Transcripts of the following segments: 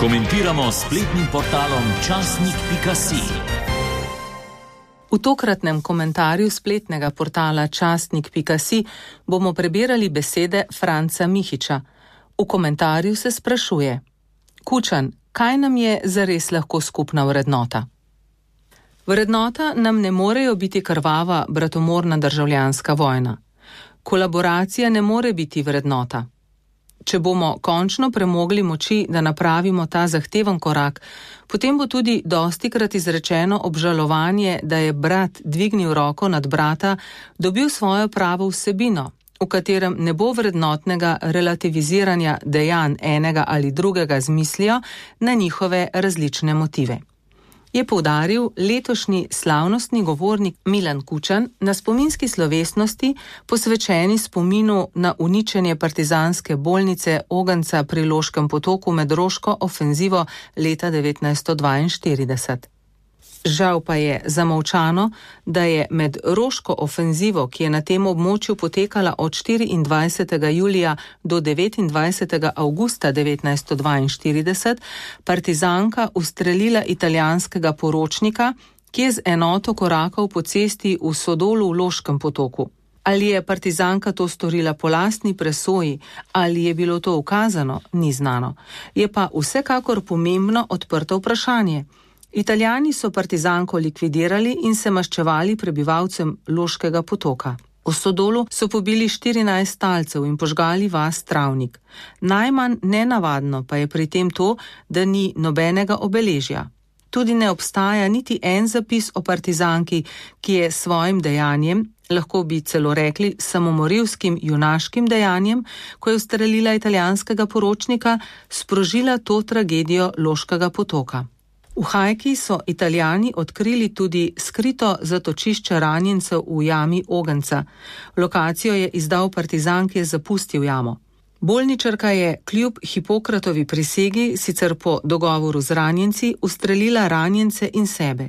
Komentiramo spletnim portalom časnik.si. V tokratnem komentarju spletnega portala časnik.si bomo prebirali besede Franca Mihiča. V komentarju se sprašuje: Kučan, kaj nam je zares lahko skupna vrednota? Vrednota nam ne morejo biti krvava, bratomorna državljanska vojna. Kolaboracija ne more biti vrednota. Če bomo končno premogli moči, da napravimo ta zahteven korak, potem bo tudi dostikrat izrečeno obžalovanje, da je brat dvignil roko nad brata, dobil svojo pravo vsebino, v katerem ne bo vrednotnega relativiziranja dejanj enega ali drugega z mislijo na njihove različne motive. Je poudaril letošnji slavnostni govornik Milan Kučan na spominski slovesnosti, posvečeni spominu na uničenje partizanske bolnice Ogenca pri Loškem potoku med Roško ofenzivo leta 1942. Žal pa je zamolčano, da je med Roško ofenzivo, ki je na tem območju potekala od 24. julija do 29. avgusta 1942, partizanka ustrelila italijanskega poročnika, ki je z enoto korakal po cesti v Sodolu v Loškem potoku. Ali je partizanka to storila po lastni presoji, ali je bilo to ukazano, ni znano. Je pa vsekakor pomembno odprto vprašanje. Italijani so partizanko likvidirali in se maščevali prebivalcem Loškega potoka. V Sodolu so pobili 14 talcev in požgali vas Travnik. Najmanj nenavadno pa je pri tem to, da ni nobenega obeležja. Tudi ne obstaja niti en zapis o partizanki, ki je svojim dejanjem, lahko bi celo rekli samomorilskim junaškim dejanjem, ko je ustrelila italijanskega poročnika, sprožila to tragedijo Loškega potoka. V Hajki so Italijani odkrili tudi skrito zatočišče ranjencev v jami Ogenca. Lokacijo je izdal partizan, ki je zapustil jamo. Bolničarka je kljub Hipokratovi prisegi, sicer po dogovoru z ranjenci, ustrelila ranjence in sebe.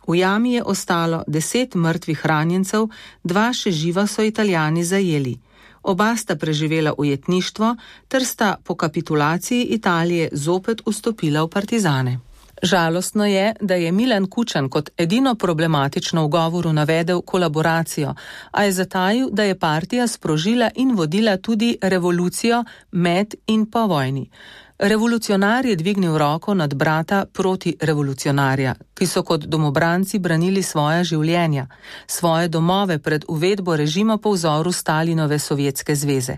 V jami je ostalo 10 mrtvih ranjencev, 2 še živa so Italijani zajeli. Oba sta preživela ujetništvo, ter sta po kapitulaciji Italije zopet vstopila v partizane. Žalostno je, da je Milan Kučan kot edino problematično v govoru navedel kolaboracijo, a je zatajil, da je partija sprožila in vodila tudi revolucijo med in po vojni. Revolucionar je dvignil roko nad brata proti revolucionarja, ki so kot domobranci branili svoja življenja, svoje domove pred uvedbo režima po vzoru Stalinove Sovjetske zveze.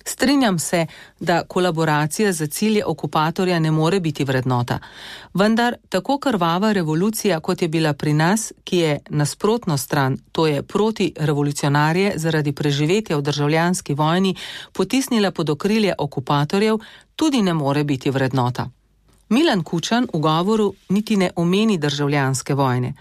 Strinjam se, da kolaboracija za cilje okupatorja ne more biti vrednota, vendar tako krvava revolucija, kot je bila pri nas, ki je nasprotno stran, to je proti revolucionarje zaradi preživetja v državljanski vojni, potisnila pod okrilje okupatorjev, tudi ne more biti vrednota. Milan Kučan v govoru niti ne omeni državljanske vojne.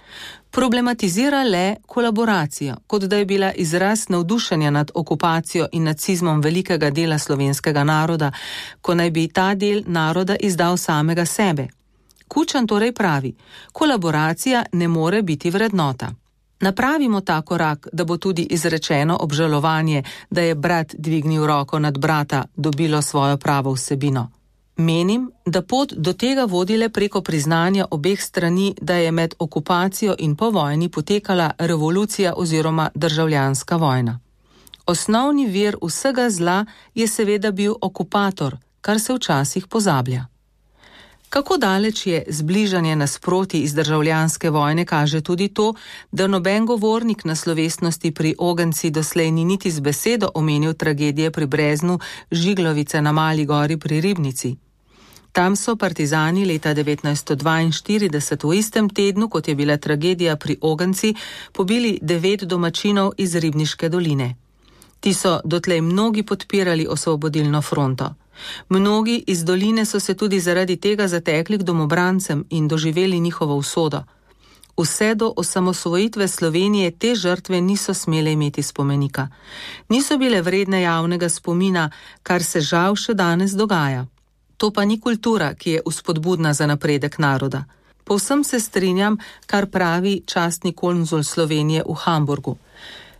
Problematizira le kolaboracijo, kot da je bila izraz navdušenja nad okupacijo in nacizmom velikega dela slovenskega naroda, ko naj bi ta del naroda izdal samega sebe. Kučan torej pravi: kolaboracija ne more biti vrednota. Napravimo ta korak, da bo tudi izrečeno obžalovanje, da je brat dvignil roko nad brata, dobilo svojo pravo vsebino. Menim, da pot do tega vodi le preko priznanja obeh strani, da je med okupacijo in po vojni potekala revolucija oziroma državljanska vojna. Osnovni vir vsega zla je seveda bil okupator, kar se včasih pozablja. Kako daleč je zbližanje nasprotij iz državljanske vojne, kaže tudi to, da noben govornik na slovesnosti pri Ogenci doslej ni niti z besedo omenil tragedije pri Breznu, Žiglovice na Mali gori pri Ribnici. Tam so partizani leta 1942 v istem tednu, kot je bila tragedija pri Ogenci, pobili 9 domačinov iz Ribniške doline. Ti so dotlej mnogi podpirali osvobodilno fronto. Mnogi iz doline so se tudi zaradi tega zatekli k domobrancem in doživeli njihovo usodo. Vse do osamosvojitve Slovenije te žrtve niso smele imeti spomenika. Niso bile vredne javnega spomina, kar se žal še danes dogaja. To pa ni kultura, ki je vzpodbudna za napredek naroda. Povsem se strinjam, kar pravi častni konzul Slovenije v Hamburgu.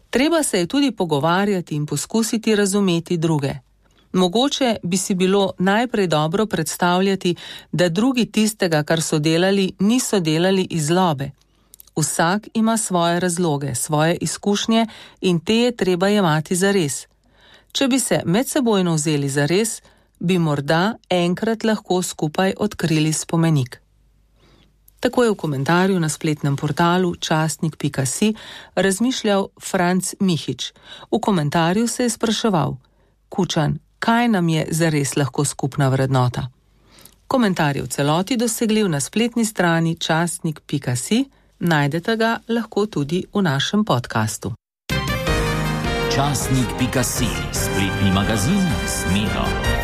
Treba se je tudi pogovarjati in poskusiti razumeti druge. Mogoče bi si bilo najprej dobro predstavljati, da drugi tistega, kar so delali, niso delali iz zlobe. Vsak ima svoje razloge, svoje izkušnje in te je treba jemati zares. Če bi se medsebojno vzeli zares, bi morda enkrat lahko skupaj odkrili spomenik. Tako je v komentarju na spletnem portalu časnik.si razmišljal Franc Mihič. V komentarju se je spraševal: Kučan, kaj nam je zares lahko skupna vrednota? Komentar je v celoti dosegljiv na spletni strani časnik.si, najdete ga lahko tudi v našem podkastu. Časnik.si, spletni magazin s Miro.